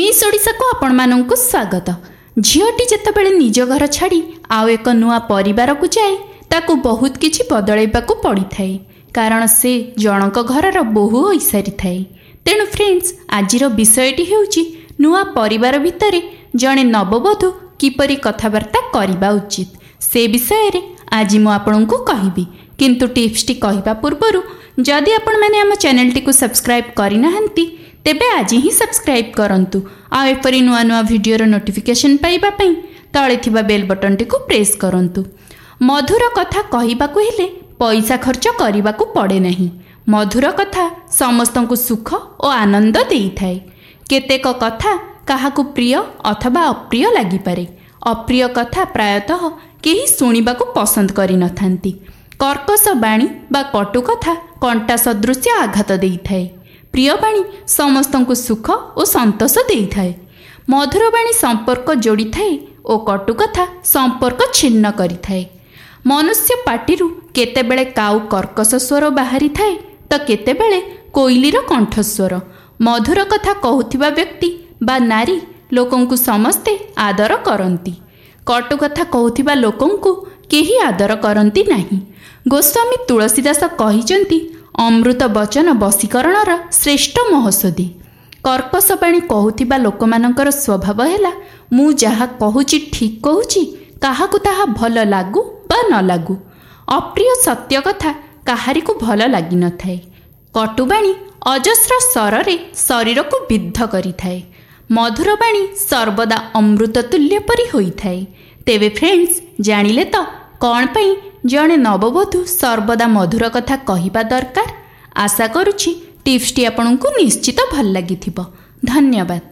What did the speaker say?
Miss ଓଡ଼ିଶାକୁ ଆପଣମାନଙ୍କୁ ସ୍ୱାଗତ। ଝିଅଟି ଯେତେବେଳେ ନିଜ ଘର ଛାଡ଼ି ଆଉ ଏକ ନୂଆ ପରିବାରକୁ ଯାଏ, ତାକୁ ବହୁତ କିଛି ବଦଳାଇବାକୁ ପଡ଼ିଥାଏ, କାରଣ ସେ ଜଣଙ୍କ ଘରର ବୋହୂ ହୋଇସାରିଥାଏ। ତେଣୁ ଫ୍ରେଣ୍ଡସ୍, ଆଜିର ବିଷୟଟି ହେଉଛି ନୂଆ ପରିବାର ଭିତରେ ଜଣେ ନବବଧୂ କିପରି କଥାବାର୍ତ୍ତା କରିବା ଉଚିତ, ସେ ବିଷୟରେ ଆଜି ମୁଁ ଆପଣଙ୍କୁ କହିବି। କିନ୍ତୁ ଟିପ୍ସଟି କହିବା ପୂର୍ବରୁ ଯଦି ଆପଣମାନେ ଆମ ଚ୍ୟାନେଲଟିକୁ ସବସ୍କ୍ରାଇବ୍ କରିନାହାନ୍ତି, ତେବେ ଆଜି ହିଁ ସବସ୍କ୍ରାଇବ୍ କରନ୍ତୁ, ଆଉ ଏପରି ନୂଆ ନୂଆ ଭିଡ଼ିଓର ନୋଟିଫିକେସନ୍ ପାଇବା ପାଇଁ ତଳେ ଥିବା ବେଲ୍ ବଟନ୍ଟିକୁ ପ୍ରେସ୍ କରନ୍ତୁ। ମଧୁର କଥା କହିବାକୁ ହେଲେ ପଇସା ଖର୍ଚ୍ଚ କରିବାକୁ ପଡ଼େ ନାହିଁ। ମଧୁର କଥା ସମସ୍ତଙ୍କୁ ସୁଖ ଓ ଆନନ୍ଦ ଦେଇଥାଏ। କେତେକ କଥା କାହାକୁ ପ୍ରିୟ ଅଥବା ଅପ୍ରିୟ ଲାଗିପାରେ। ଅପ୍ରିୟ କଥା ପ୍ରାୟତଃ କେହି ଶୁଣିବାକୁ ପସନ୍ଦ କରିନଥାନ୍ତି। କର୍କଶ ବାଣୀ ବା କଟୁ କଥା କଣ୍ଟା ସଦୃଶ୍ୟ ଆଘାତ ଦେଇଥାଏ। ପ୍ରିୟ ବାଣୀ ସମସ୍ତଙ୍କୁ ସୁଖ ଓ ସନ୍ତୋଷ ଦେଇଥାଏ। ମଧୁର ବାଣୀ ସମ୍ପର୍କ ଯୋଡ଼ିଥାଏ ଓ କଟୁ କଥା ସମ୍ପର୍କ ଛିନ୍ନ କରିଥାଏ। ମନୁଷ୍ୟ ପାଟିରୁ କେତେବେଳେ କାଉ କର୍କଶ ସ୍ୱର ବାହାରିଥାଏ ତ କେତେବେଳେ କୋଇଲିର କଣ୍ଠସ୍ୱର। ମଧୁର କଥା କହୁଥିବା ବ୍ୟକ୍ତି ବା ନାରୀ ଲୋକଙ୍କୁ ସମସ୍ତେ ଆଦର କରନ୍ତି। କଟୁ କଥା କହୁଥିବା ଲୋକଙ୍କୁ କେହି ଆଦର କରନ୍ତି ନାହିଁ। ଗୋସ୍ୱାମୀ ତୁଳସୀଦାସ କହିଛନ୍ତି, ଅମୃତ ବଚନ ବଶୀକରଣର ଶ୍ରେଷ୍ଠ ମହୋଷଧି। କର୍କଶ ବାଣୀ କହୁଥିବା ଲୋକମାନଙ୍କର ସ୍ୱଭାବ ହେଲା, ମୁଁ ଯାହା କହୁଛି ଠିକ୍ କହୁଛି, କାହାକୁ ତାହା ଭଲ ଲାଗୁ ବା ନ ଲାଗୁ। ଅପ୍ରିୟ ସତ୍ୟ କଥା କାହାରିକୁ ଭଲ ଲାଗିନଥାଏ। କଟୁବାଣୀ ଅଜସ୍ର ସ୍ୱରରେ ଶରୀରକୁ ବିଦ୍ଧ କରିଥାଏ। ମଧୁର ବାଣୀ ସର୍ବଦା ଅମୃତ ତୁଲ୍ୟ ପରି ହୋଇଥାଏ। ତେବେ ଫ୍ରେଣ୍ଡସ୍, ଜାଣିଲେ ତ କ'ଣ ପାଇଁ ଜଣେ ନବବଧୂ ସର୍ବଦା ମଧୁର କଥା କହିବା ଦରକାର? ଆଶା କରୁଛି ଟିପ୍ସଟି ଆପଣଙ୍କୁ ନିଶ୍ଚିତ ଭଲ ଲାଗିଥିବ। ଧନ୍ୟବାଦ।